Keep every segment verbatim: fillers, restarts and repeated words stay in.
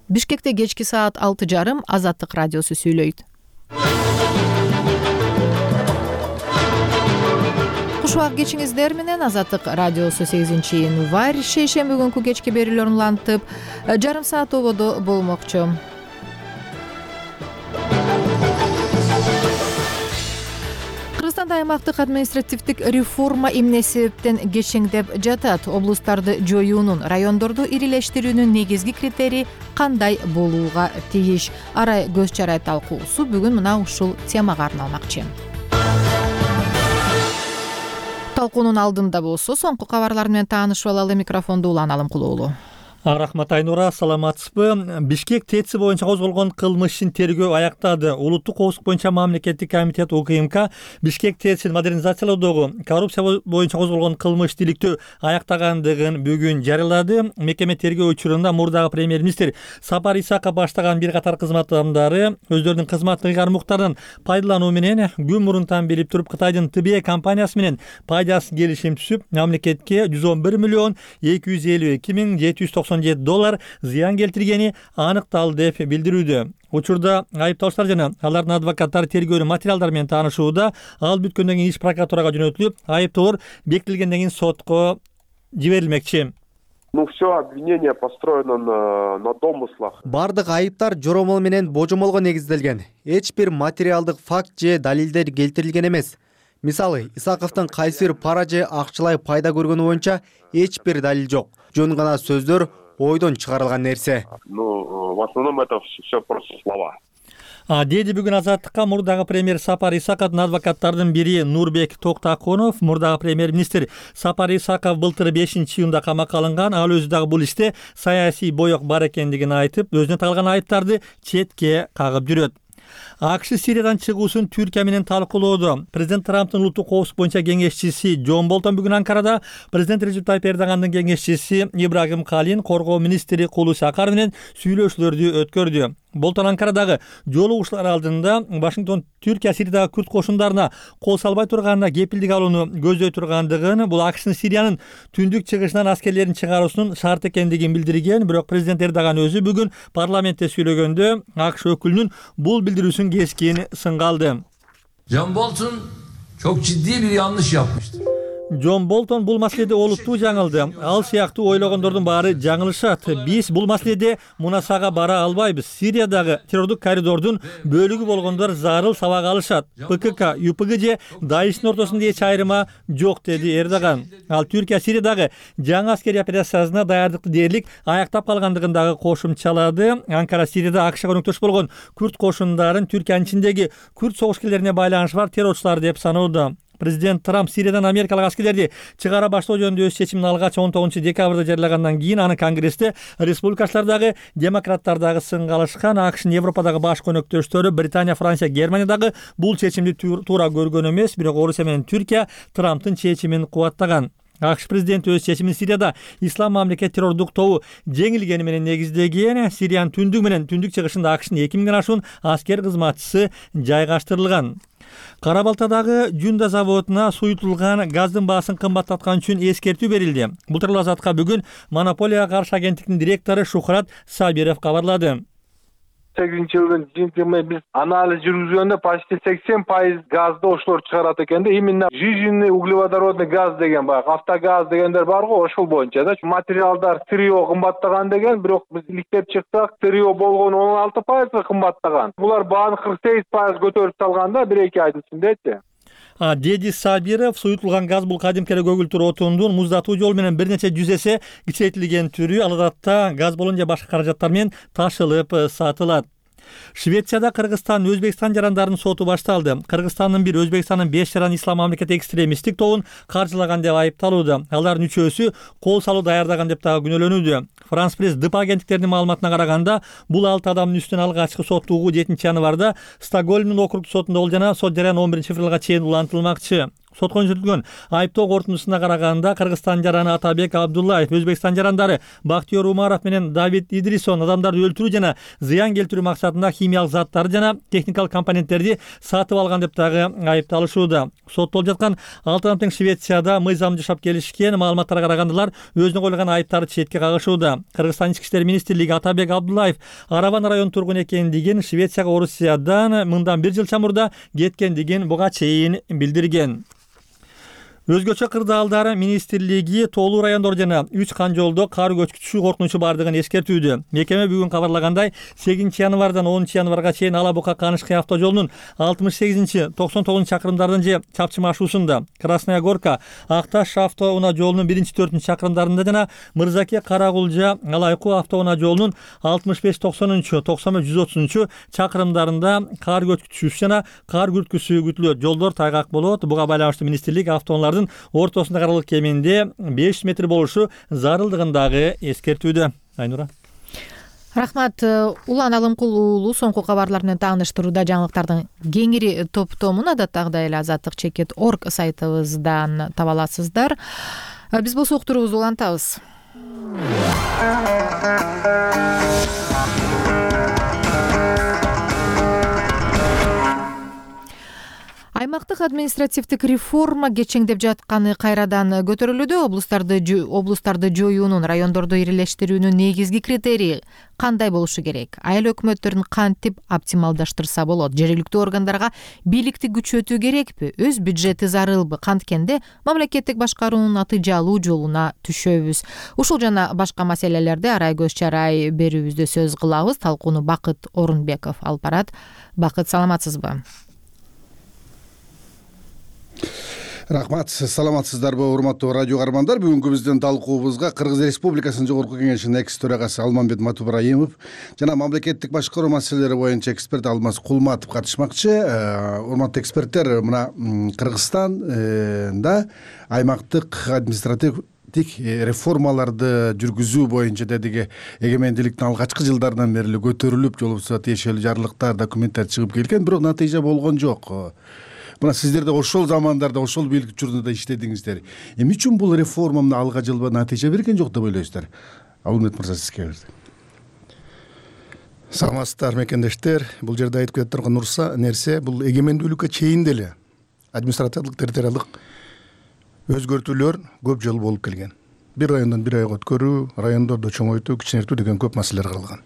Бишкекте кечки саат алты жарым Азаттык радиосу сүйлөйт. Кушубак кечиңиздер менен Азаттык радиосу сегизинчи январь шейшемби күнкү кечки берүүлөрүн улантып, жарым саат ободо болмокчу. Кыргызстанда аймактык административдик реформа эмне себептен кечеңдеп жатат? Облустарды жоюунун, райондорду ирилештирүүнүн негизги критерии кандай болууга тийиш? Арай көз чарай талкуусу бүгүн мына ушул темага арналмакчы. Талкуунун алдында болсо соңку кабарлар менен таанышып алалы. Микрофонду Улан Алымкулуулу. Рахмат Айнура, саламатсызбы? Бишкек ТЭЦ боюнча козголгон кылмыш ишин тергөө аяктады. Улуттук коопсуздук боюнча мамлекеттик комитет У К М К Бишкек ТЭЦин модернизациялоодогу коррупция боюнча козголгон кылмыш иликтөө аяктагандыгын бүгүн жарыялады. Мекеме тергөө учурунда мурдагы премьер-министр Сапар Исаков баштаган бир катар кызмат адамдары өздөрүнүн кызматтык ыйгарым-укуктарын пайдалануу менен күн мурунтан билип туруп Кытайдын Т Б компаниясы менен пайдасыз келишим түзүп, мамлекетке жүз он бир миллион эки жүз элүү эки миң жети жүз токсон жети доллар зыян келтиргени аныкталды деп билдирүүдө. Учурда айыпталуучулар жана алардын адвокаттары тергөөнүн материалдары менен таанышууда. Ал бүткөндөн кийин иш прокуратурага жөнөтүлүп, айыптоолор бекитилгенден кийин сотко жиберилмекчи. Ну, все обвинение построено на, на домыслах. Бардык айыптар жоромол менен божомолго негизделген. Эч бир материалдык факт же далилдер келтирилген эмес. Мисалы, Исаковдун кайсы бир пара же акчалай пайда көргөнү боюнча эч бир далил жок. Жөн гана сөздөр, ойдон чыгарылган нерсе. Ну, в основном это все просто слова. А деди бүгүн Азаттыкка мурдагы премьер Сапар Исаковдун адвокаттардын бири Нурбек Токтаконов. Мурдагы премьер-министр Сапар Исаков былтыр бешинчи июнда камакка алынган. Ал өзү дагы бул иште саясий боек бар экендигин айтып, өзүнө тагылган айыптарды четке кагып жүрөт. А К Ш Сириядан чыгуусун Түркия менен талкуулоодо. Президент Трамптын улуттук коопсуздук боюнча кеңешчиси Джон Болтон бүгүн Анкарада президент Режеп Тайып Эрдогандын кеңешчиси Ибрагим Калин, коргоо министри Кулуш Акар менен сүйлөшүүлөрдү өткөрдү. Болтон Анкарадагы жолугушуулар алдында Вашингтон Түркия Сириядагы күрд кошундарына кол салбай турганына кепилдик алууну көздөй тургандыгын, бул А К Шнын Сириянын түндүк чыгышынан аскерлерин чыгаруусунун шарт экендигин билдирген. Бирок президент Эрдоган өзү бүгүн парламентте сүйлөгөндө А К Ш өкүлүнүн бул билдирүүсүн кескин сынга алды. John Bolton çok ciddi bir yanlış yapmıştır. Джон Болтон бул маселеде олуттуу жаңылды. Ал сыяктуу ойлогондордун баары жаңылышат. Биз бул маселеде мунасага бара албайбыз. Сириядагы террордук коридордун бөлүгү болгондор зарыл сабак алышат. П К К, Ю П Г же Даиштин ортосунда эч айырма жок, деди Эрдоган. Ал Түркия Сириядагы жаңы аскерий операциясына даярдыкты дээрлик аяктап калгандыгын дагы кошумчалады. Анкара Сирияда А К Шга өнөктөш болгон күрд кошундарын Түркиянын ичиндеги күрд согушкерлерине байланышы бар террорчулар деп саноодо. Президент Трамп Сириядан америкалык аскерлерди чыгара баштоо жөнүндө өз чечимин алгач он тогузунчу декабрда жарыялагандан кийин аны Конгрессте республикачылар дагы, демократтар дагы сынга алышкан. А К Шнын Европадагы баш көнөктөштөрү Британия, Франция, Германия дагы бул чечимди туура көргөн эмес, бирок Орусия менен Түркия Трамптын чечимин кубаттаган. А К Ш президенти өз чечимин Сирияда ислам мамлекет террордук тобу жеңилгени менен негиздеген. Сириянын түндүк менен түндүк чыгышында А К Шнын эки миңден ашуун аскер кызматчысы жайгаштырылган. Кара Балтадагы Жунда заводуна суютулган газдын баасын кымбаттаткан үчүн эскертүү берилди. Бул тууралуу Азатка бүгүн монополияга каршы агенттиктин директору Шухрат Сабиров кабарлады. сегизинчи жылдын жыйынтыгында биз анализ жүргүзгөндө почти сексен пайыз газды ошолор чыгарат экен да. Именно жиженный углеводородный газ деген бар, автогаз дегендер бар го, ошол боюнча да. Материалдар трио кымбаттаган деген, бирок биз иликтеп чыксак, трио болгон он алты пайызга кымбаттаган. Булар бааны кырк сегиз пайыз көтөрүп салган да бир эки айдын ичиндечи. А деди Сабиров, суютулган газ бул кадимки көгүлтүр отундун муздатуу жол менен бир нече жүз эсе кичейтилген түрү. Ал адатта газ баллон же башка каражаттар менен ташылып сатылат. Швецияда Кыргызстан Өзбекстан жарандарын соту башталды. Кыргызстандын бир Өзбекстандын беш жаран ислам мамлекет экстремисттик тобун каржылаган деп айыпталууда. Алардын үчөөсү кол салуу даярдаган деп дагы күнөөлөнүүдө. Франс пресс ДП агенттиктеринин маалыматына караганда, бул алты адамдын үстүнөн алгачкы соттугуу жетинчи январда Стокгольмдун округдук сотунда болду жана сот жарыяны он биринчи февралга чейин улантылмакчы. Сотко көрсөтүлгөн айыптоо корутундусуна караганда Кыргызстан жараны Атабек Абдуллаев, Өзбекстан жарандары Бактиер Умаров менен Давид Идрисон адамдарды өлтүрүү жана зыян келтирүү максатында химиялык заттарды жана техникалык компоненттерди сатып алган деп дагы айыпталышууда. Соттолуп жаткан алты адам тең Швецияда мыйзам жашап келишкен. Маалыматтарга караганда алар өзүнө коюлган айыптарды четке кагышууда. Кыргызстан ички иштер министрлиги Атабек Абдуллаев Арабан район тургуну экендигин, Швецияга Орусиядан мындан бир жыл чамурда кеткендигин буга чейин билдирген. Өзгөчө кырдаалдар министрлиги Тоолуу райондор жана үч кан жолдо кар көчкүчү коркунучу бардыгын эскертүүдө. Мекеме бүгүн кабарлагандай, сегизинчи январдан онунчу январга чейин Ала Бука Канышкы автожолунун алтымыш сегизинчи токсон тогузунчу чакырымдардын же Чапчы машуусунда, Красная Горка Акташ автоунаа жолунун биринчи төртүнчү чакырымдарында жана Мырзаке Карагулжа Алайку автоунаа жолунун алтымыш беш токсонунчу токсон үч жүз отузунчу чакырымдарында кар көчкүчүсү жана кар күрткүсү күтүлөт. Жолдор тайгак болот. Буга байланыштуу министрлик автоунаалардын ортосунда аралык кеминде беш метр болушу зарылдыгын дагы эскертүүдө. Айнура. Рахмат. Улан Алымкул уулу соңку кабарлар менен тааныштырууда жаңылыктардын кеңири топтомун адаттагыдай эле азаттык чекит орг сайтыбыздан таба аласыздар. Биз болсо уктуруубузду улантабыз. Аймактык административдик реформа кечеңдеп жатканы кайрадан көтөрүлүүдө. Облустарды облустарды жоюунун, райондорду ирилештирүүнүн негизги критерийи кандай болушу керек? Айыл өкмөттөрүн кантип оптималдаштырса болот? Жергиликтүү органдарга бийликти күчөтүү керекпи? Өз бюджети зарылбы? Канткенде мамлекеттик башкаруунун натыйжалуу жолуна түшөбүз. Ушул жана башка маселелерди арай көз чарай берүүбүздө сөз кылабыз. Талкууну Бакыт Орунбеков алып барат. Бакыт, саламатсызбы? Рахмат, саламатсыздарбы урматтуу радио каармандар. Бүгүнкү биздин талкуубузга Кыргыз Республикасынын Жогорку Кеңешинин экс төрагасы Алмамбет Матубраимов жана мамлекеттик башкаруу маселелери боюнча эксперт Алмаз Кулматов катышмакчы. Урматтуу эксперттер, мына Кыргызстанда аймактык административдик реформаларды жүргүзүү боюнча дедиги эгемендүүлүктүн алгачкы жылдарынан бери көтөрүлүп, жол болбосо тиешелүү жарлыктар, документтер чыгып келген, бирок натыйжа болгон жок. Мына сиздер да ошол замандарда ошол бийлик учурунда иштедиңиздер. Эмне үчүн бул реформа мына алга жылба натыйжа берген жок деп ойлойсуздар? Алмамбет мырза, сизге берди. Саламатсыздар мекендештер. Бул жерде айтып кетип турган нерсе, бул эгемендүүлүккө чейин деле административдик территориалдык өзгөртүүлөр көп жыл болуп келген. Бир райондон бир районго өткөрүү, райондорду чоңойтуу, кичинертүү деген көп маселелер каралган.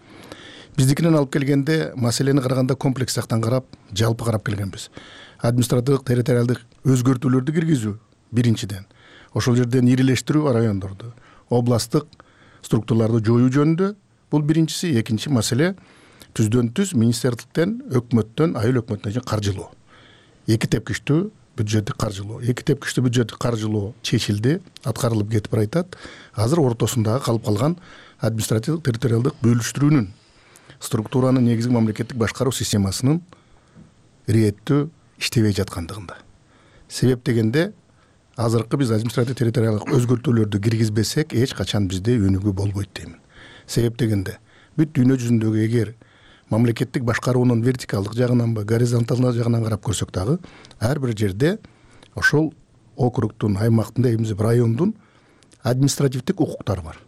Биздикинен алып келгенде маселени караганда комплекс жактан карап, жалпы карап келгенбиз. Административдик территориалдык өзгөртүүлөрдү киргизүү биринчиден, ошол жерден ирилештирүү райондорду, областтык структураларды жоюу жөнүндө бул биринчиси. Экинчи маселе түздөн түз министрликтен, өкмөттөн, айыл өкмөтүнө каржылоо. Эки тепкичтүү бюджеттик каржылоо, эки тепкичтүү бюджеттик каржылоо чечилди, аткарылып кетип баратат. Азыр ортосундагы калып калган административдик территориалдык бөлүштүрүүнүн, структуранын негизги мамлекеттик башкаруу системасынын ирэттүү иштебей жаткандыгында. Себеп дегенде, азыркы биз административдик территориалдык өзгөртүүлөрдү киргизбесек, эч качан бизде өнүгүү болбойт деймин. Себеп дегенде, бүт дүйнө жүзүндөгү эгер мамлекеттик башкаруунун вертикалдык жагынанбы, горизонталдык жагынан карап көрсөк дагы, ар бир жерде ошол округтун, аймактын, эмне райондун административдик укуктары бар.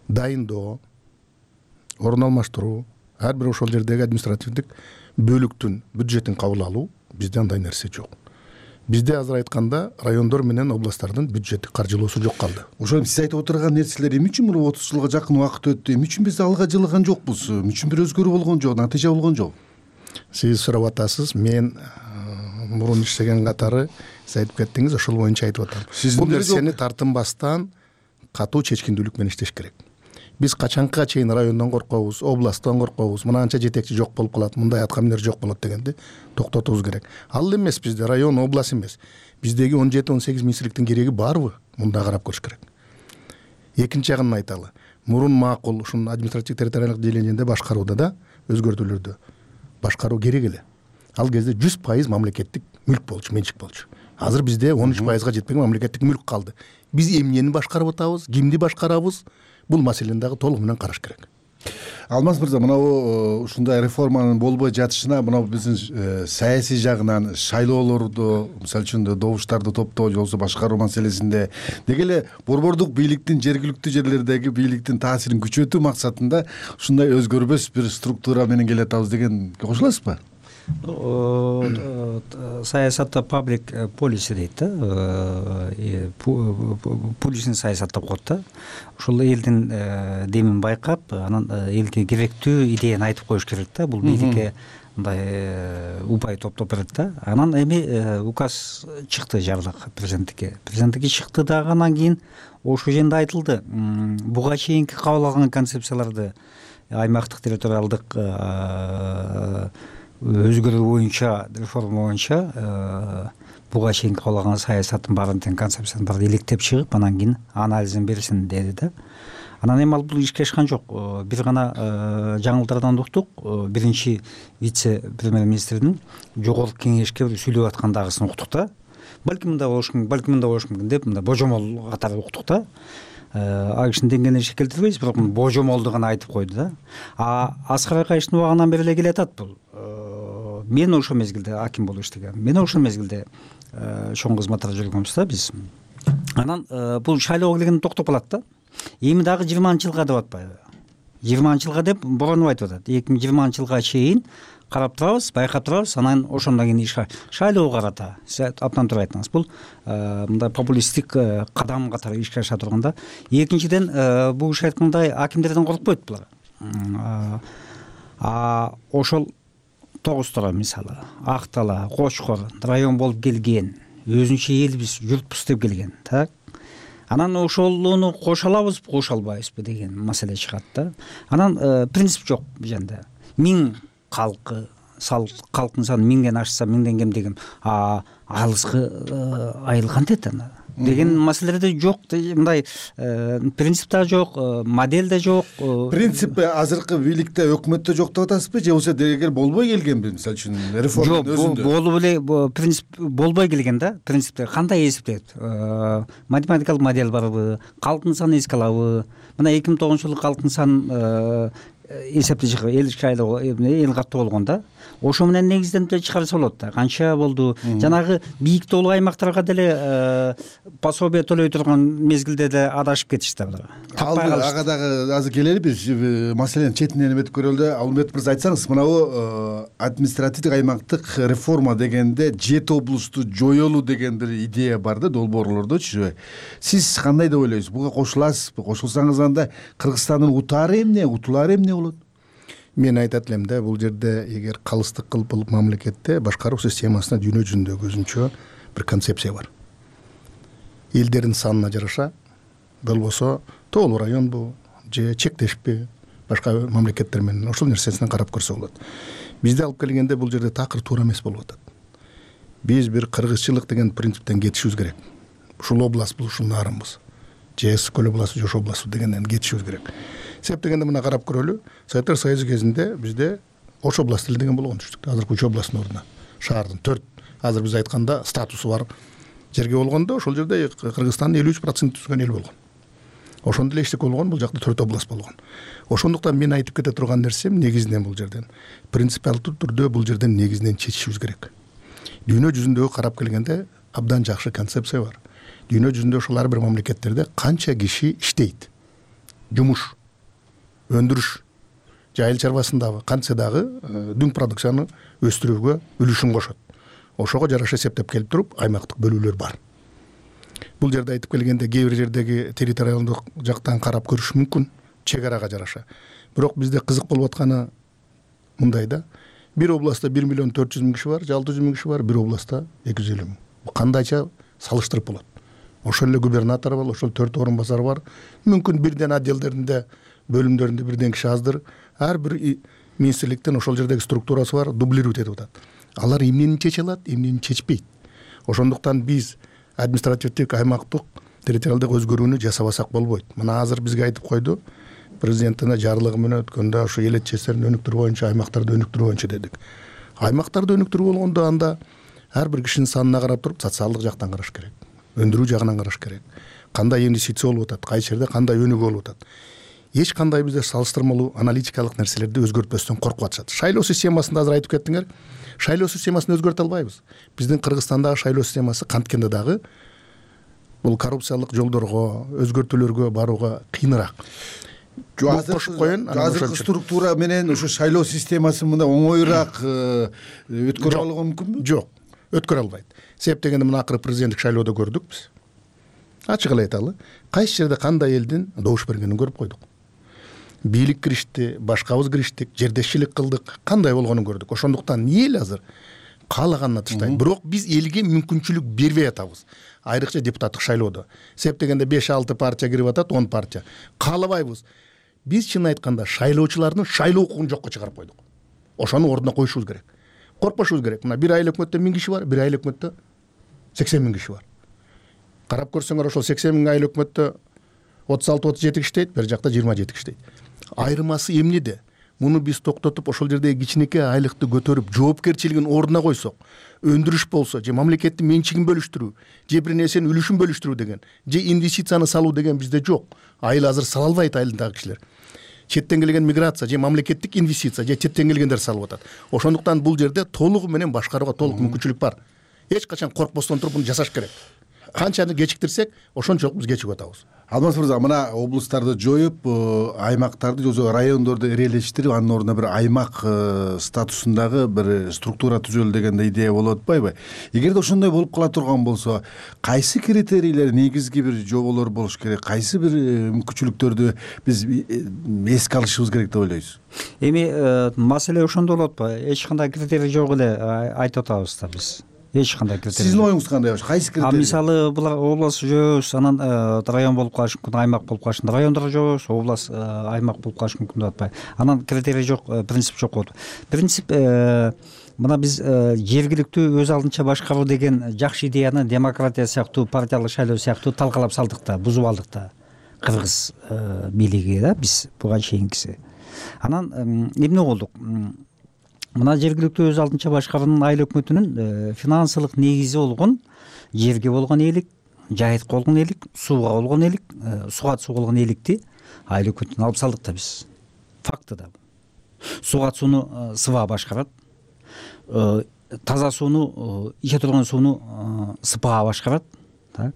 Дайындоо, орун алмаштыруу, ар бир ошол жердеги административдик бөлүктүн бюджетин кабыл алуу, бизде андай нерсе жок. Бизде азыр айтканда райондор менен областтардын бюджеттик каржылоосу жок калды. Ошол сиз айтып отурган нерселер эмне үчүн бул отуз жылга жакын убакыт өттү? Эмне үчүн биз алга жылган жокпуз? Эмне үчүн бир өзгөрүү болгон жок, натыйжа болгон жок? Сиз сурап атасыз, мен мурун иштеген катары сиз айтып кеттиңиз, ошол боюнча айтып атам. Бул нерсени тартынбастан катуу чечкиндүүлүк менен иштеш керек. Биз качанга чейин райондон коркобуз, областтан коркобуз, мынанча жетекчи жок болуп калат, мындай аткаминер жок болот дегенди токтотубуз керек. Ал эмес бизде район, област эмес. Биздеги он жети он сегиз министрликтин кереги барбы? Мында карап көрүш керек. Экинчи жагын айталы. Мурун макул ушун административдик территориалдык дележенде башкарууда да өзгөртүүлөрдү башкаруу керек эле. Ал кезде жүз пайыз мамлекеттик мүлк болчу, менчик болчу. Азыр бизде он үч пайызга жетпеген мамлекеттик мүлк калды. Биз эмнени башкарып атабыз, кимди башкарабыз? Бул маселени дагы толук менен караш керек. Алмаз мырза, мынабу ушундай реформанын болбой жатышына мына биздин саясий жагынан шайлоолорду, мисалы үчүн добуштарды топтоо же болбосо башкаруу маселесинде деги эле борбордук бийликтин жергиликтүү жерлердеги бийликтин таасирин күчөтүү максатында ушундай өзгөрбөс бир структура менен келе атабыз дегенге кошуласызбы? Саясатта паблик полиси дейт да, публичный саясат деп коет да. Ошол элдин демин байкап, анан элге керектүү идеяны айтып коюш керек да. Бул бийликке мындай упай топтоп берет да. Анан эми указ чыкты, жарлык президенттикке. Президенттикке чыкты дагы, анан кийин ошол жерде айтылды. Буга чейинки кабыл алган концепцияларды аймактык территориалдык өзгөрүү боюнча, реформа боюнча буга чейин кабыл алган саясаттын баарын тең концепциянын баарын электеп чыгып, анан кийин анализин берсин деди да. Анан эми ал бул ишке ашкан жок. Бир гана жаңылыктардан уктук. Биринчи вице-премьер-министрдин жогорку кеңешке сүйлөп аткандагысын уктук да. Балким мындай болуш мүмкүн, балким мындай болуш мүмкүн деп мындай божомол катары уктук да. А кишинин деңгээлине иши келтирбейбиз, бирок божомолду гана айтып койду да. А Аскар Акаевдин убагынан бери эле келатат бул. Мен ошол мезгилде аким болуп иштегем. Мен ошол мезгилде чоң кызматта жүргөнбүз да биз. Анан бул шайлоого келгенде токтоп калат да. Эми дагы жыйырманчы жылга деп атпайбы? жыйырманчы жылга деп боронуп айтып атат. эки миң жыйырманчы жылга чейин карап турабыз, байкап турабыз, анан ошондон кийин иш шайлоого карата. Сиз абдан туура айттыңыз. Бул мындай популисттик кадам катары ишке аша турганда. Экинчиден, бул иш айткандай акимдерден коркпойт булар. А ошол тогуз тора мисалы, Актала, Кочкор район болуп келген, өзүнчө элбиз, журтпуз деп келген, так? Анан ошолуну кошо алабызбы, кошо албайбызбы деген маселе чыгат да. Анан принцип жок бул жерде. Миң калкы, калктын саны миңден ашса, миңден кем деген, а алыскы айыл кантип ана деген маселелерде жок. Мындай принцип да жок, модель да жок. Принцип азыркы бийликте, өкмөттө жок деп атасызбы, же болбосо дегел болбой келгенби? Мисалы үчүн реформанын өзүндө. Жок, болуп эле принцип болбой келген да. Принциптер кандай эсептейт? Математикалык модель барбы? Калктын санын эске алабы? Мына эки миң тогузунчу жылы калктын санын эсепти чыгып, эл шайлоо, эл каттуу болгон да. Ошо менен негизденип чыгарса болот да. Канча болду? Жанагы бийик тоолуу аймактарга деле пособие төлөй турган мезгилде да адашып кетишти булар. Ага дагы азыр келели биз маселенин четинен эметип көрөлү да. Алымбет мырза, айтсаңыз, мынабу административдик аймактык реформа дегенде жети облусту жоёлуу деген бир идея бар да, долбоорлордочу. Сиз кандай деп ойлойсуз? Буга кошуласызбы? Кошулсаңыз анда Кыргызстандын утаары эмне, утулаары эмне болот? Мен айтат элем да, бул жерде эгер калыстык кылып бул мамлекетте башкаруу системасына дүйнө жүзүндөгү өзүнчө бир концепция бар. Элдердин санына жараша, болбосо тоолуу районбу же чектешпи башка мамлекеттер менен ошол нерсесине карап көрсө болот. Бизди алып келгенде бул жерде такыр туура эмес болуп атат. Биз бир кыргызчылык деген принциптен кетишибиз керек. Ушул област бул ушул нарынбыз. Же Көл областы, же ошол област дегенден кетишибиз керек. Себеп дегенде мына карап көрөлү. Советтер Союзу кезинде бизде Ош областы деген болгон түштүк. Азыркы үч областтын ордуна шаардын төрт, азыр биз айтканда статусу бар жерге болгондо, ошол жерде Кыргызстандын элүү үч процент түзгөн эл болгон. Ошондо эле эчтеке болгон, бул жакта төрт област болгон. Ошондуктан мен айтып кете турган нерсем негизинен бул жерден принципиалдуу түрдө бул жерден негизинен чечишибиз керек. Дүйнө жүзүндөгү карап келгенде абдан жакшы концепция бар. Дүйнө жүзүндө ошол ар бир мамлекеттерде канча киши иштейт, жумуш, өндүрүш, айыл чарбасындагы кантсе дагы дүң продукцияны өстүрүүгө үлүшүн кошот. Ошого жараша эсептеп келип туруп, аймактык бөлүүлөр бар. Бул жерде айтып келгенде кээ бир жердеги территориалдык жактан карап көрүш мүмкүн, чек арага жараша. Бирок бизде кызык болуп атканы мындай да. Бир областта бир миллион төрт жүз миң киши бар, же алты жүз миң киши бар, бир областта эки жүз элүү миң. Бул кандайча салыштырып болот? Ошол эле губернатор бар, ошол төрт орун басар бар. Мүмкүн бирден отделдеринде, бөлүмдөрүндө бирден киши аздыр. Ар бир министрликтен ошол жердеги структурасы бар, дублировать этип атат. Алар эмнени чече алат, эмнени чечпейт. Ошондуктан биз административдик аймактык территориалдык өзгөрүүнү жасабасак болбойт. Мына азыр бизге айтып койду, президентине жарлыгы менен өткөндө ошо эл этчестерин өнүктүрүү боюнча, аймактарды өнүктүрүү боюнча дедик. Аймактарды өнүктүрүү болгондо анда ар бир кишинин санына карап туруп, социалдык жактан караш керек. Өндүрүү жагынан караш керек. Кандай инвестиция болуп атат, кайсы жерде кандай өнүгүү болуп атат. эч кандай бизде салыштырмалуу аналитикалык нерселерди өзгөртпөстөн коркуп атышат. Шайлоо системасында азыр айтып кеттиңер. Шайлоо системасын өзгөртө албайбыз. Биздин Кыргызстандагы шайлоо системасы канткенде дагы бул коррупциялык жолдорго, өзгөртүүлөргө барууга кыйыныраак. Кошуп коеюн. Азыркы структура менен ошо шайлоо системасы мындай оңоюраак өткөрө алууга мүмкүнбү? Жок, өткөрө албайт. Себеп дегенде мына акыры президенттик шайлоодо көрдүк биз. Ачык эле айталы, кайсы жерде кандай элдин добуш бергенин көрүп койдук. Бийлик киришти, башкабыз кириштик, жердешчилик кылдык, кандай болгонун көрдүк. Ошондуктан эл азыр каалаганына таштайт. Бирок биз элге мүмкүнчүлүк бербей атабыз. Айрыкча депутаттык шайлоодо. Себеп дегенде беш алты партия кирип атат, он партия. Каалабайбыз. Биз чын айтканда шайлоочулардын шайлоо укугун жокко чыгарып койдук. Ошону ордуна коюшубуз керек. Коркпошубуз керек. Мына бир айыл өкмөттө миң киши бар, бир айыл өкмөттө сексен миң киши бар. Карап көрсөңөр ошол сексен миң айыл өкмөттө отуз алты отуз жети иштейт, бер жакта жыйырма жети иштейт. Айырмасы эмнеде? Муну биз токтотуп ошол жердеги кичинекей айлыкты көтөрүп, жоопкерчилигин ордуна койсок, өндүрүш болсо, же мамлекеттин менчигин бөлүштүрүү, же бир нерсенин үлүшүн бөлүштүрүү деген, же инвестицияны салуу деген бизде жок. Айыл азыр сала албайт айылдагы кишилер. Четтен келген миграция, же мамлекеттик инвестиция, же четтен келгендер салып атат. Ошондуктан бул жерде толугу менен башкарууга толук мүмкүнчүлүк бар. Эч качан коркпостон туруп муну жасаш керек. Канчаны кечиктирсек, ошончолук биз кечигип атабыз. Алмаз мырза, мына облустарды жоюп, аймактарды же райондорду ирелештирип, анын ордуна бир аймак статусундагы бир структура түзөлө дегенде идея болуп атпайбы? Эгерде ошондой болуп кала турган болсо, кайсы критерийлер, негизги бир жоболор болуш керек, кайсы бир мүмкүнчүлүктөрдү биз эске алышыбыз керек деп ойлойсуз? Эми маселе ошондо болот атпайбы? Эч кандай критерий жок эле айтып атабыз да биз. Эч кандай критерий. Сиздин оюңуз кандай? Кайсы критерий? А мисалы булар область жөөбүз, анан район болуп калышы мүмкүн, аймак болуп калышы мүмкүн. Райондор жөөбүз, область, аймак болуп калышы мүмкүн деп атпайбы. Анан критерий жок, принцип жок болот. Принцип мына биз жергиликтүү өз алдынча башкаруу деген жакшы идеяны демократия сыяктуу, партиялык шайлоо сыяктуу талкалап салдык да, бузуп алдык да. Кыргыз бийлиги да, биз буга чейинкиси. Анан эмне болдук? Мына жергиликтүү өз алдынча башкаруунун айыл өкмөтүнүн финансылык негизи болгон жерге болгон ээлик, жайытка болгон ээлик, сууга болгон ээлик, суга суу болгон ээликти айыл өкмөтүнөн алып салдык да биз. Факты да. Суга сууну СыбА башкарат. Таза сууну, иче турган сууну СПА башкарат. Так.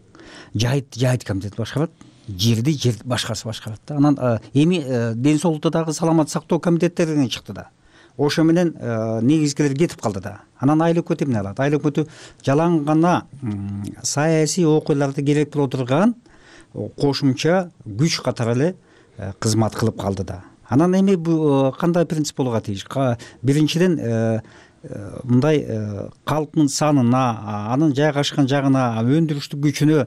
Жайыт жайыт комитети башкарат. Жерди жер башкарса башкарат да. Анан эми ден соолукта дагы саламат сактоо комитеттеринен чыкты да. Ошо менен негизгилер кетип калды да. Анан айыл өкмөтү эмне алат? Айыл өкмөтү жалаң гана саясий окуяларды керек боло турган кошумча күч катары эле кызмат кылып калды да. Анан эми бул кандай принцип болууга тийиш? Биринчиден мындай калктын санына, анын жайгашкан жагына, өндүрүштүк күчүнө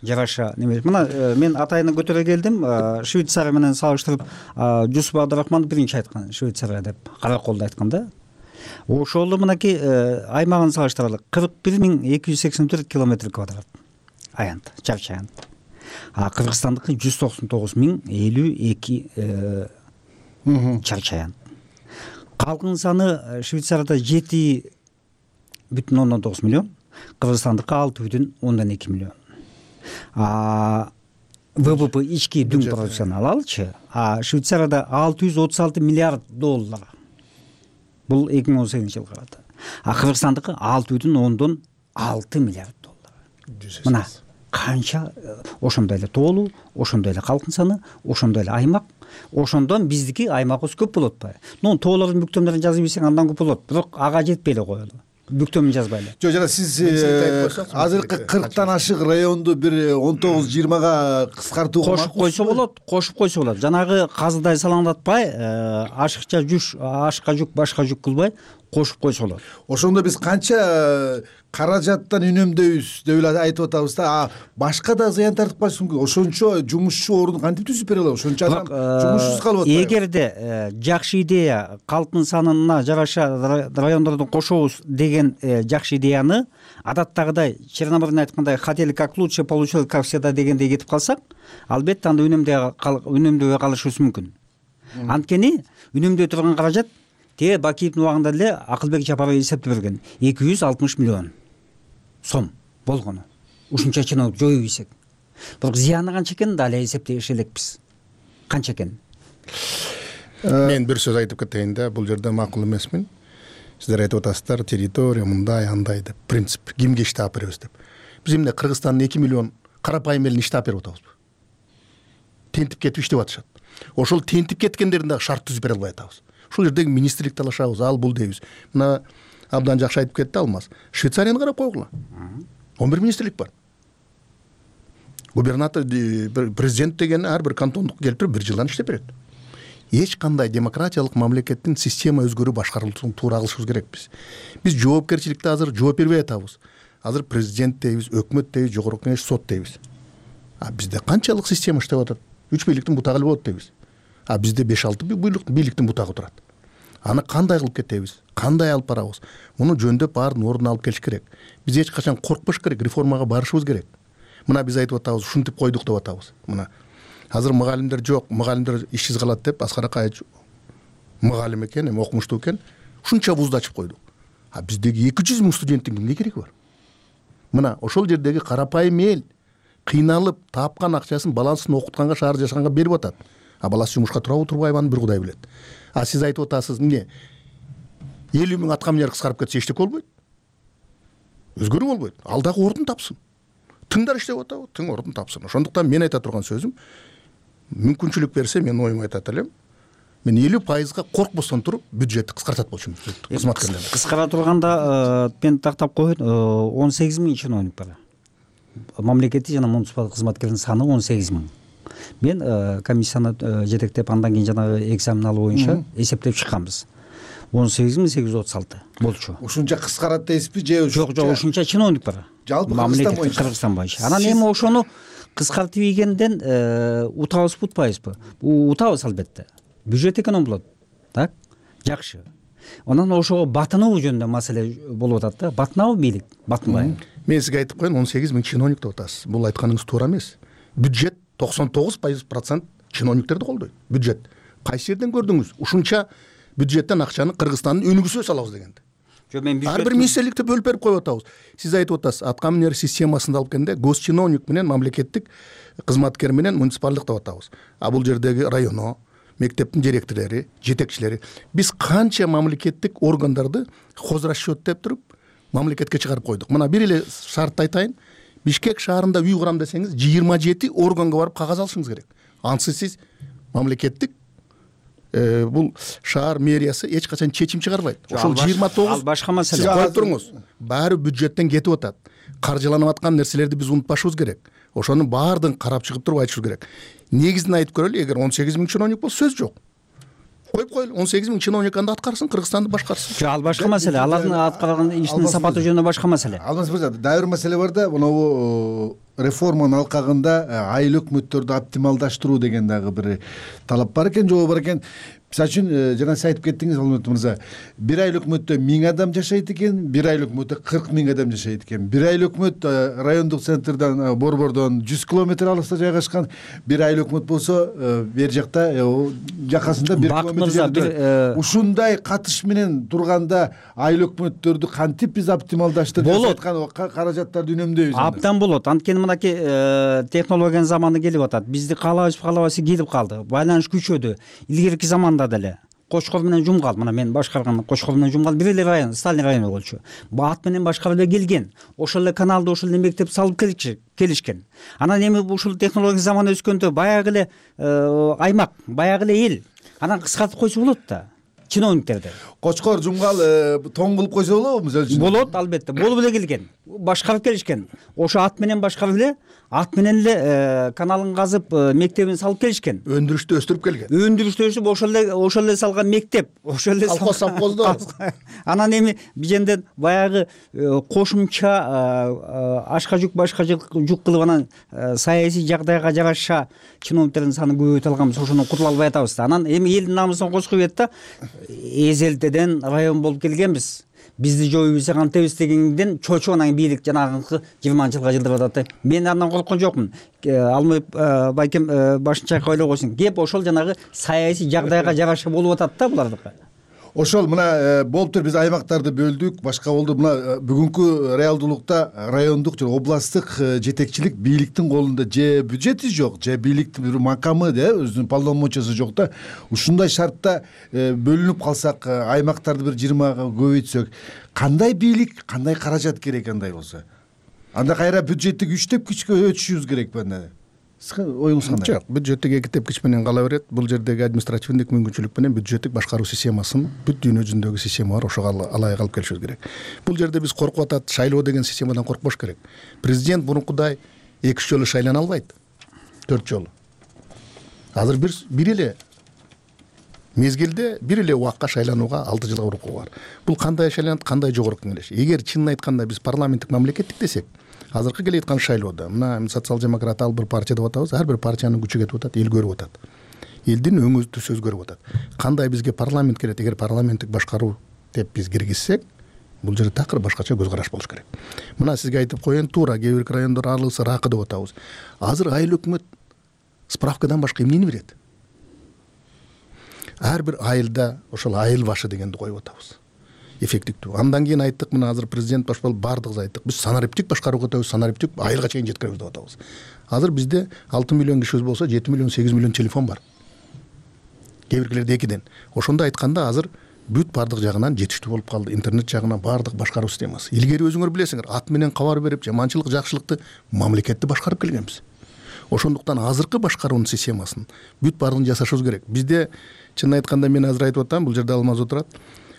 жараша неме. Мына мен атайын көтөрө келдим, Швейцария менен салыштырып, Жусуп Абдрахман биринчи айткан, Швейцария деп, караколдо айткан да. Ошол мынакей аймагын салыштыралы, кырк бир миң эки жүз сексен төрт километр квадрат аянт, чарчы аянт. А Кыргызстандыкы жүз токсон тогуз миң элүү эки чарчы аянт. Калкын саны Швейцарияда жети бүтүн ондон тогуз миллион, Кыргызстандыкы алты бүтүн ондон эки миллион. А ВВП ички дүң продукцияны алалычы, а Швейцарияда алты жүз отуз алты миллиард доллар. Бул эки миң он сегизинчи жылга карата. А Кыргызстандыкы алты бүтүн ондон алты миллиард доллар. Мына канча ошондой эле тоолуу, ошондой эле калкын саны, ошондой эле аймак, ошондон биздики аймагыбыз көп болот атпайбы? Ну, тоолордун бүктөмдөрүн жазып ийсең андан көп болот, бирок ага жетпей эле коелу. Бүктөмүн жазбайлы. Жок, жана сиз азыркы кырктан ашык районду бир он тогуз жыйырмага кыскартууга кошуп койсо болот, кошуп койсо болот. Жанагы казыдай салаңдатпай, ашыкча жүш, ашыкка жүк, башка жүк кылбай кошуп койсо болот. Ошондо биз канча каражаттан үнөмдөйбүз деп эле айтып атабыз да. А башка да зыян тартып калышы мүмкүн. Ошончо жумушчу ордун кантип түзүп бере алабыз? Ошончо адам жумушсуз калып атпайбы? Эгерде жакшы идея, калктын санына жараша райондорду кошобуз деген жакшы идеяны адаттагыдай Черномырдын айткандай хотели как лучше, получилось как всегда дегендей кетип калсак, албетте анда үнөмдөбөй калышыбыз мүмкүн. Анткени үнөмдөй турган каражат те Бакиевдин убагында эле Акылбек Жапаров эсептеп берген эки жүз алтымыш миллион сом болгону. Ушунча чиновник жоюп ийсек. Бирок зыяны канча экенин да эле эсептеш элекпиз. Канча экенин. мен бир сөз айтып кетейин да, бул жерде макул эмесмин. Сиздер айтып атасыздар, территория мындай андай деп, принцип, кимге иштеп беребиз деп. Биз эмне Кыргызстандын эки миллион карапайым элине иштеп берип атабызбы? Тентип кетип иштеп атышат. Ошол тентип кеткендерин дагы шарт түзүп бере албай атабыз. Ушул жердеги министрлик талашабыз, ал бул дейбиз. Мына абдан жакшы айтып кетти Алмаз. Швейцарияны карап койгула. он бир министрлик бар. Губернатор, президент деген ар бир кантондук келтирип бир жылдан иштеп берет. Эч кандай демократиялык мамлекеттин система өзгөрүү башкарылышын туура кылышыбыз керекпиз. Биз жоопкерчиликте азыр жооп бербей атабыз. Азыр президент дейбиз, өкмөт дейбиз, жогорку кеңеш, сот дейбиз. А бизде канчалык система иштеп атат? Үч бийликтин бутагы эле болот дейбиз. А бизде беш алты бийликтин бутагы турат. Аны кандай кылып кетебиз? Кандай алып барабыз? Муну жөндөп баарын ордуна алып келиш керек. Биз эч качан коркпош керек, реформага барышыбыз керек. Мына биз айтып атабыз, ушинтип койдук деп атабыз. Мына азыр мугалимдер жок, мугалимдер ишсиз калат деп Аскар Акаевич мугалим экен, эми окумуштуу экен, ушунча вузду ачып койдук. А биздеги эки жүз миң студенттин кимге кереги бар? Мына ошол жердеги карапайым эл кыйналып тапкан акчасын баласын окутканга, шаар жашаганга берип атат. А баласы жумушка турабы турбайбы аны бир Кудай билет. А сиз айтып атасыз, эмне? элүү миң атка минер кыскарып кетсе эчтеке болбойт. Өзгөрүү болбойт. Ал дагы ордун тапсын. Тыңдар иштеп атабы? Тың ордун тапсын. Ошондуктан мен айта турган сөзүм, мүмкүнчүлүк берсе мен оюмду айтат элем. Мен элүү пайызга коркпостон туруп бюджетти кыскартат болчумун. Кызматкерлерди кыскара турганда мен тактап коеюн, он сегиз миң чиновник бар. Мамлекеттик жана муниципалдык кызматкердин саны он сегиз миң. Мен комиссияны жетектеп, андан кийин жанагы экзамен алуу боюнча эсептеп чыкканбыз. он сегиз миң сегиз жүз отуз алты болчу. Ушунча кыскарат дейсизби же? Жок, жок, ушунча чиновник бар. Жалпы Кыргызстан боюнча. Кыргызстан боюнча. Анан эми ошону кыскартып ийгенден утабызбы, утпайбызбы? Утабыз албетте. Бюджет эконом болот. Так? Жакшы. Анан ошого батынуу жөнүндө маселе болуп атат да. Батынабы бийлик? Батынбайбы? Мен сизге айтып коеюн, он сегиз миң чиновник деп атасыз. Бул айтканыңыз туура эмес. Бюджет токсон тогуз процент чиновниктерди колдойт. Бюджет. Кайсы жерден көрдүңүз? Ушунча бюджеттен акчаны Кыргызстандын өнүгүүсүнө салабыз дегенде. Жок, мен бюджет. Ар бир министрликти бөлүп берип коюп атабыз. Сиз айтып атасыз, атка минер системасында алып келгенде госчиновник менен мамлекеттик кызматкер менен муниципалдык деп атабыз. А бул жердеги районо, мектептин директорлори, жетекчилери, биз канча мамлекеттик органдарды хозрасчет деп туруп мамлекетке чыгарып койдук. Мына бир эле шартты айтайын. Бишкек шаарында үй курам десеңиз, жыйырма жети органга барып кагаз алышыңыз керек. Ансыз сиз мамлекеттик бул шаар мэриясы эч качан чечим чыгарбайт. Ошол жыйырма тогуз ал башка маселе. Сиз коюп туруңуз. Баары бюджеттен кетип атат. Каржыланып аткан нерселерди биз унутпашыбыз керек. Ошонун баардыгын карап чыгып туруп айтышыбыз керек. Негизин айтып көрөлү, эгер он сегиз миң чиновник болсо сөз жок. Коюп коелу, он сегиз миң чиновник анда аткарсын, Кыргызстанды башкарсын. Жок, ал башка маселе. Алардын аткарган ишинин сапаты жөнүндө башка маселе. Алмаз мырза, дагы бир маселе бар да, мынабу реформанын алкагында айыл өкмөттөрдү оптималдаштыруу деген дагы бир талап бар экен, жобо бар экен. Мисалы үчүн жана сиз айтып кеттиңиз, Алмаз мырза, бир айыл өкмөттө миң адам жашайт экен, бир айыл өкмөттө кырк миң адам жашайт экен. Бир айыл өкмөт райондук центрден, борбордон жүз километр алыста жайгашкан, бир айыл өкмөт болсо бер жакта жакасында бир километр жерде. Ушундай катыш менен турганда айыл өкмөттөрдү кантип биз оптималдаштырып жаткан каражаттарды үнөмдөйбүз? Абдан болот. Анткени мынакей технологиянын заманы келип атат. Бизди каалабыз, каалабайсыз келип калды. Байланыш күчөдү. Илгерки заманда деле Кочкор менен Жумгал, мына мен башкарган Кочкор менен Жумгал бир эле район, Сталин району болчу. Баат менен башкарып эле келген. Ошол эле каналды, ошол эле мектеп салып келишкен. Анан эми ушул технология заманы өскөндө баягы эле аймак, баягы эле эл. Анан кыскартып койсо болот да. Чиновниктерди. Кочкор, Жумгал тоң кылып койсо болобу мисалы үчүн? Болот, албетте. Болуп эле келген. Башкарып келишкен. Ошо ат менен башкарып эле, ат менен эле каналын казып, мектебин салып келишкен. Өндүрүштү өстүрүп келген. Өндүрүштү өстүрүп, ошол эле ошол эле салган мектеп, ошол эле колхоз совхоздо. Анан эми биженден баягы кошумча ашка жүк, башка жүк кылып анан саясий жагдайга жараша чиновниктердин саны көбөйтө алганбыз, ошондон кутула албай атабыз да. Анан эми элдин намысын кочкуп ийет да. Эзелтеден район болуп келгенбиз. Бизди жоюбуз кантебиз дегенден чочуп анан бийлик жанагы жыйырманчы жылга жылдырып атат. Мен андан корккон жокмун. Алмай байкем башын чайкап ойлой койсун. Кеп ошол жанагы саясий жагдайга жараша болуп атат да булардыкы. ошол мына болуптур, биз аймактарды бөлдүк, башка болду. Мына бүгүнкү реалдуулукта райондук же областтык жетекчилик бийликтин колунда же бюджети жок, же бийликтин бир макамы, да, өзүнүн полномочиясы жок да. Ушундай шартта бөлүнүп калсак, аймактарды бир жыйырмага көбөйтсөк, кандай бийлик, кандай каражат керек андай болсо? Анда кайра бюджеттик үчтеп күчкө өтүшүбүз керекпи анда? Оюңуз кандай? Жок, бюджеттик эки тепкич менен кала берет. Бул жердеги административдик мүмкүнчүлүк менен бюджеттик башкаруу системасын бүт дүйнө жүзүндөгү система бар, ошого алайык алып келишибиз керек. Бул жерде биз коркуп атат, шайлоо деген системадан коркпош керек. Президент мурункудай эки үч жолу шайлана албайт. төрт жолу. Азыр бир бир эле мезгилде бир эле убакка шайланууга алты жылга урукку бар. Бул кандай шайланат, кандай жогорку кеңеш? Эгер чынын айтканда биз парламенттик мамлекеттик десек, азыркы келе аткан шайлоодо мына социал-демократ ал бир партия деп атабыз, ар бир партиянын күчү кетип атат, эл көрүп атат. Элдин өңү түз өзгөрүп атат. Кандай бизге парламент керек? Эгер парламенттик башкаруу деп биз киргизсек, бул жерде такыр башкача көз караш болуш керек. Мына сизге айтып коеюн, туура кээ бир райондор аралыкса ракы деп атабыз. Азыр айыл өкмөт справкадан башка эмнени берет? Ар бир айылда ошол айыл башы дегенди коюп атабыз. Эффективдүү. Андан кийин айттык, мына азыр президент баш болуп бардыгыбыз айттык. Биз санариптик башкарууга өтөбүз, санариптик айылга чейин жеткиребиз деп атабыз. Азыр бизде алты миллион кишибиз болсо, жети миллион, сегиз миллион телефон бар. Кээ биркилерде экиден. Ошондо айтканда азыр бүт бардык жагынан жетиштүү болуп калды. Интернет жагынан бардык башкаруу системасы. Илгери өзүңөр билесиңер, ат менен кабар берип, жаманчылык, жакшылыкты мамлекетти башкарып келгенбиз. Ошондуктан азыркы башкаруунун системасын бүт баардыгын жасашыбыз керек. Бизде чынын айтканда мен азыр айтып атам, бул жерде Алмаз отурат.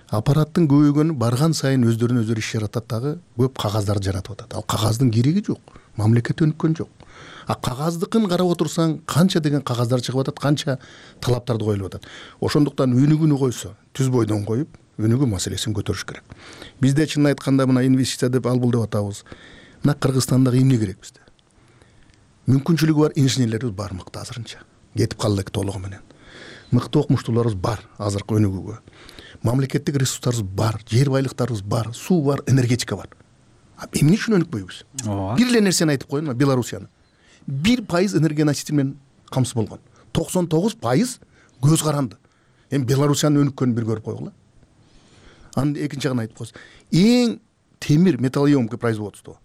Аппараттын көбөйгөнү барган сайын өздөрүнө өздөрү иш жаратат дагы, көп кагаздарды жаратып атат. Ал кагаздын кереги жок. Мамлекет өнүккөн жок. А кагаздыкын карап отурсаң, канча деген кагаздар чыгып атат, канча талаптарды коюлуп атат. Ошондуктан өнүгүүнү койсо, түз бойдон коюп, өнүгүү маселесин көтөрүш керек. Бизде чынын айтканда мына инвестиция деп албул деп атабыз. Мына Кыргызстандагы эмне керек бизде? Мүмкүнчүлүгү бар инженерлерибиз бар мыкты азырынча. Кетип калды толугу менен. Мыкты окумуштууларыбыз бар азыркы өнүгүүгө. Мамлекеттик ресурстарыбыз бар, жер байлыктарыбыз бар, суу бар, энергетика бар. А эмне үчүн өнүкпөйбүз? Бир эле нерсени айтып коеюн, Белоруссияны. бир пайыз энергоноситель менен камсыз болгон. токсон тогуз пайыз көз каранды. Эми Белоруссиянын өнүккөнүн бир көрүп койгула. Анын экинчи жагын айтып коесуз. Эң темир металлоемкий производство.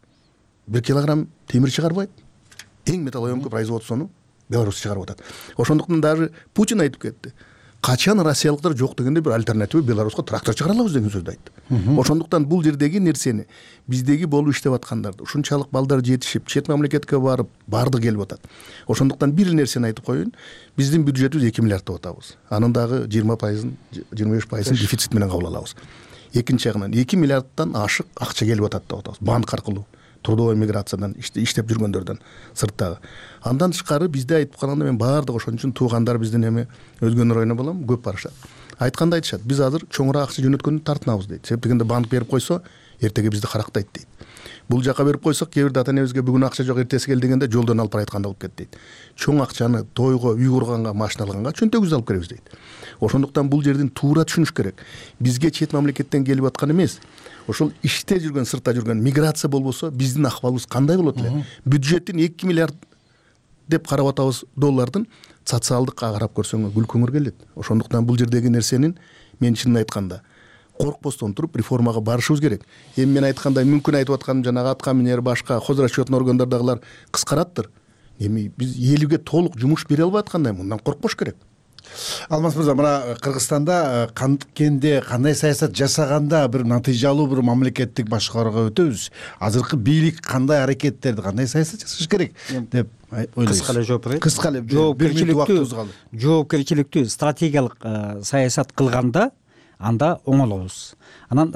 бир килограмм темир чыгарбайт. Эң металлоемкий производствону Беларусь чыгарып атат. Ошондуктан даже Путин айтып кетти. Качан россиялыктар жок дегенде бир альтернатива Беларуска трактор чыгара алабыз деген сөздү айтты. Ошондуктан бул жердеги нерсени биздеги болуп иштеп аткандарды, ушунчалык балдар жетишип, чет мамлекетке барып, барды келип атат. Ошондуктан бир нерсени айтып коеюн, биздин бюджетибиз эки миллиард деп атабыз. Анын дагы жыйырма пайызын, жыйырма беш пайызын дефицит менен кабыл алабыз. Экинчи жагынан эки миллиарддан ашык акча келип атат деп атабыз. Банк аркылуу, трудовой миграциядан иштеп жүргөндөрдөн сырттагы. Андан тышкары бизде айтып калганда мен баардык ошон үчүн туугандар биздин эми өзгөнү районуна балам көп барышат. Айтканда айтышат, биз азыр чоңураак акча жөнөткөндү тартынабыз дейт. Себеп дегенде банк берип койсо, эртеге бизди карактайт дейт. Бул жака берип койсок, кээ бирде ата-энебизге бүгүн акча жок, эртеси кел дегенде жолдон алып барайтканда болуп кетти дейт. Чоң акчаны тойго, үй курганга, машина алганга чөнтөгүбүздү алып келебиз дейт. Ошондуктан бул жердин туура түшүнүш керек. Бизге чет мамлекеттен келип аткан эмес, ошол иште жүргөн, сыртта жүргөн миграция болбосо, биздин акыбалыбыз кандай болот эле? Бюджеттин эки миллиард деп карап атабыз доллардын социалдыкка карап көрсөңөр күлкүңөр келет. Ошондуктан бул жердеги нерсенин мен чынын айтканда коркпостон туруп реформага барышыбыз керек. Эми мен айткандай мүмкүн айтып атканым жанагы атка минер башка хозрасчетный органдардагылар кыскараттыр. Эми биз элге толук жумуш бере албай аткандай, мындан коркпош керек. Алмаз мырза, мына Кыргызстанда канткенде кандай саясат жасаганда бир натыйжалуу бир мамлекеттик башкарууга өтөбүз. Азыркы бийлик кандай аракеттерди, кандай саясат жасаш керек деп ойлойсуз? Кыска эле жооп берейин. Кыска эле жоопкерчиликтүү, жоопкерчиликтүү стратегиялык саясат кылганда анда оңолобуз. Анан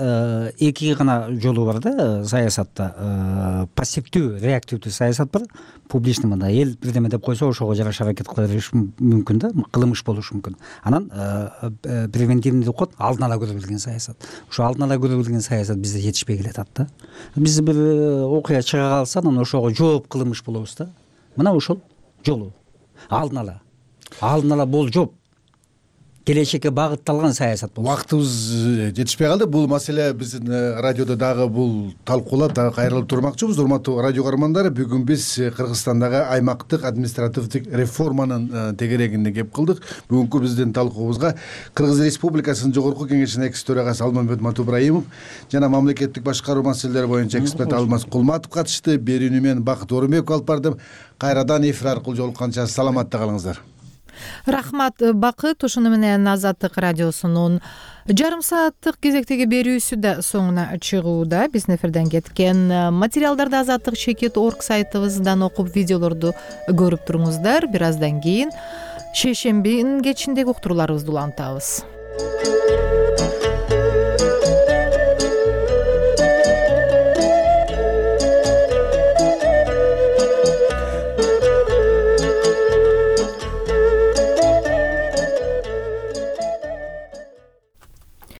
эки гана жолу бар да саясатта. Пассивдүү, реактивдүү саясат бар. Публичный мында эл бирдеме деп койсо, ошого жараша аракет кыла бериш мүмкүн да, кылымыш болуш мүмкүн. Анан превентивный деп коет, алдын ала көрө билген саясат. Ошо алдын ала көрө билген саясат бизде жетишпей келатат да. Биз бир окуя чыга калса, анан ошого жооп кылымыш болобуз да. Мына ошол жолу. Алдын ала. Алдын ала бол жооп. келечекке багытталган саясат болот. Убактыбыз жетишпей калды. Бул маселе биздин радиодо дагы бул талкуулап дагы кайрылып турмакчыбыз. Урматтуу радио көрөрмандар, бүгүн биз Кыргызстандагы аймактык административдик реформанын тегерегинде кеп кылдык. Бүгүнкү биздин талкуубузга Кыргыз Республикасынын Жогорку Кеңешинин экс төрагасы Алмамбет Матубраимов жана мамлекеттик башкаруу маселелери боюнча эксперт Алмаз Кулматов катышты. Берүүнү мен Бакыт Орунбеков алып бардым. Кайрадан эфир аркылуу жолукканча саламатта калыңыздар. Рахмат Бакыт. Ошону менен Азаттык радиосунун жарым сааттык кезектеги берүүсү да соңуна чыгууда. Биздин эфирден кеткен материалдарды Азаттык чекит орг сайтыбыздан окуп, видеолорду көрүп туруңуздар. Бир аздан кийин шейшембинин кечиндеги уктурууларыбызды улантабыз.